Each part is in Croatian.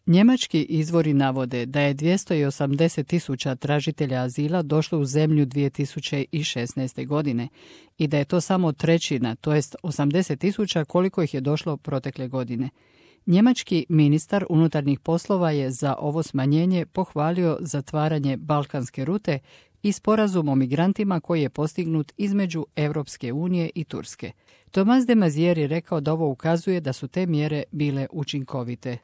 Njemački izvori navode da je 280.000 tražitelja azila došlo u zemlju 2016. godine i da je to samo trećina, to jest 80.000 koliko ih je došlo protekle godine. Njemački ministar unutarnjih poslova je za ovo smanjenje pohvalio zatvaranje balkanske rute i sporazum o migrantima koji je postignut između Europske unije i Turske. Thomas de Maizière je rekao da ovo ukazuje da su te mjere bile učinkovite.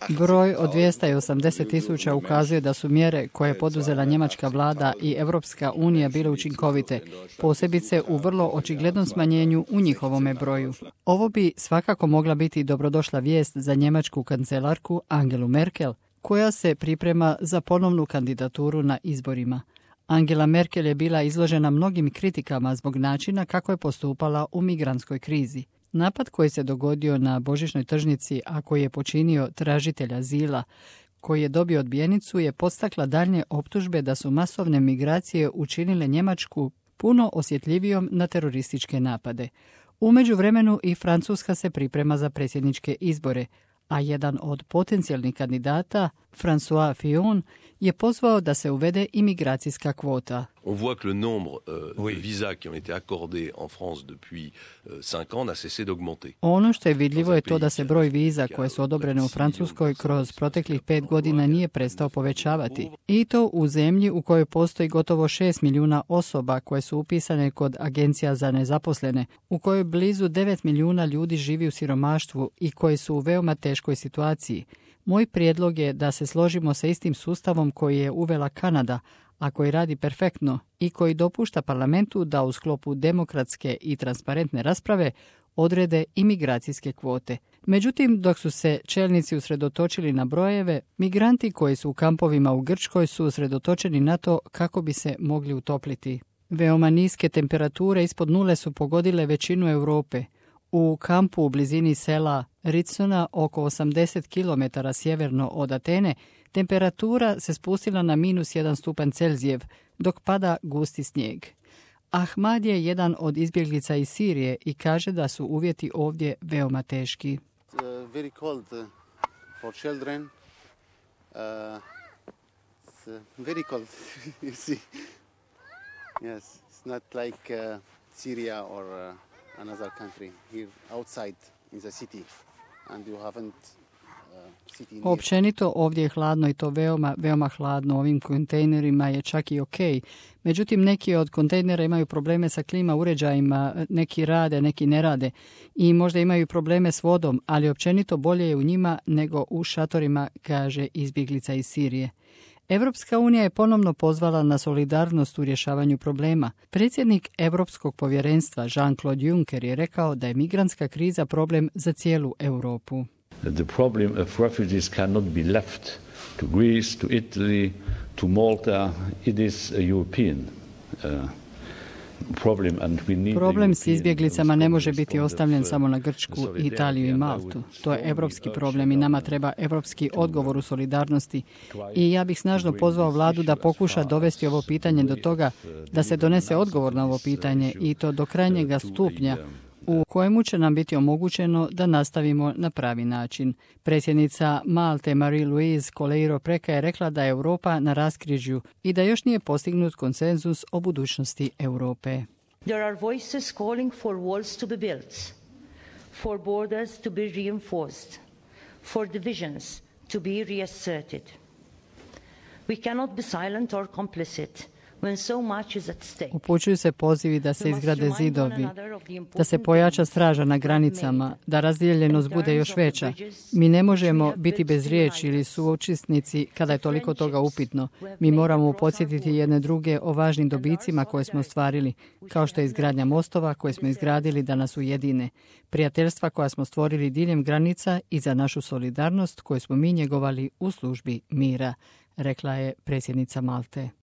Broj od 280.000 ukazuje da su mjere koje je poduzela njemačka vlada i Europska unija bile učinkovite, posebice u vrlo očiglednom smanjenju u njihovome broju. Ovo bi svakako mogla biti dobrodošla vijest za njemačku kancelarku Angelu Merkel, koja se priprema za ponovnu kandidaturu na izborima. Angela Merkel je bila izložena mnogim kritikama zbog načina kako je postupala u migrantskoj krizi. Napad koji se dogodio na božićnoj tržnici, a koji je počinio tražitelj azila, koji je dobio odbijenicu, je podstakla daljnje optužbe da su masovne migracije učinile Njemačku puno osjetljivijom na terorističke napade. U međuvremenu i Francuska se priprema za predsjedničke izbore, a jedan od potencijalnih kandidata, François Fillon, je pozvao da se uvede imigracijska kvota. On voit que le nombre de visas qui ont été accordés en France depuis 5 ans n'a cessé d'augmenter. Ono što je vidljivo je to da se broj viza koje su odobrene u Francuskoj kroz proteklih 5 godina nije prestao povećavati. I to u zemlji u kojoj postoji gotovo 6 milijuna osoba koje su upisane kod agencija za nezaposlene, u kojoj blizu 9 milijuna ljudi živi u siromaštvu i koji su u veoma teškoj situaciji. Moj prijedlog je da se složimo sa istim sustavom koji je uvela Kanada, a koji radi perfektno i koji dopušta parlamentu da u sklopu demokratske i transparentne rasprave odrede imigracijske kvote. Međutim, dok su se čelnici usredotočili na brojeve, migranti koji su u kampovima u Grčkoj su usredotočeni na to kako bi se mogli utopliti. Veoma niske temperature ispod nule su pogodile većinu Europe. U kampu u blizini sela Ritsona, oko 80 km sjeverno od Atene, temperatura se spustila na -1 stupanj Celzijev, dok pada gusti snijeg. Ahmad je jedan od izbjeglica iz Sirije i kaže da su uvjeti ovdje veoma teški. Very cold for children. Very cold. You see. Yes, it's not like Syria or another country here outside in the city, and you haven't city near. Općenito ovdje je hladno i to veoma hladno. Ovim kontejnerima je čak i ok. Međutim, neki od kontejnera imaju probleme sa klima uređajima, neki rade, neki ne rade i možda imaju probleme s vodom, ali općenito bolje je u njima nego u šatorima, kaže izbjeglica iz Sirije. Europska unija je ponovno pozvala na solidarnost u rješavanju problema. Predsjednik Europskog povjerenstva Jean-Claude Juncker je rekao da je migrantska kriza problem za cijelu Europu. The problem of refugees cannot be left to Greece, to Italy, to Malta. It is a European problem and we need. Problem s izbjeglicama ne može biti ostavljen samo na Grčku, Italiju i Maltu. To je europski problem i nama treba europski odgovor u solidarnosti. I ja bih snažno pozvao vladu da pokuša dovesti ovo pitanje do toga da se donese odgovor na ovo pitanje i to do krajnjega stupnja u kojemu će nam biti omogućeno da nastavimo na pravi način. Predsjednica Malte Marie-Louise Coleiro Preca je rekla da je Europa na raskrižju i da još nije postignut konsenzus o budućnosti Europe. There are voices calling for walls to be built, for borders to be reinforced, for divisions to be reasserted. We cannot be silent or complicit. Upućuju se pozivi da se izgrade zidovi, da se pojača straža na granicama, da razdijeljenost bude još veća. Mi ne možemo biti bez riječi ili suučesnici kada je toliko toga upitno. Mi moramo podsjetiti jedne druge o važnim dobicima koje smo ostvarili, kao što je izgradnja mostova koje smo izgradili da nas ujedine, prijateljstva koja smo stvorili diljem granica i za našu solidarnost koju smo mi njegovali u službi mira, rekla je predsjednica Malte.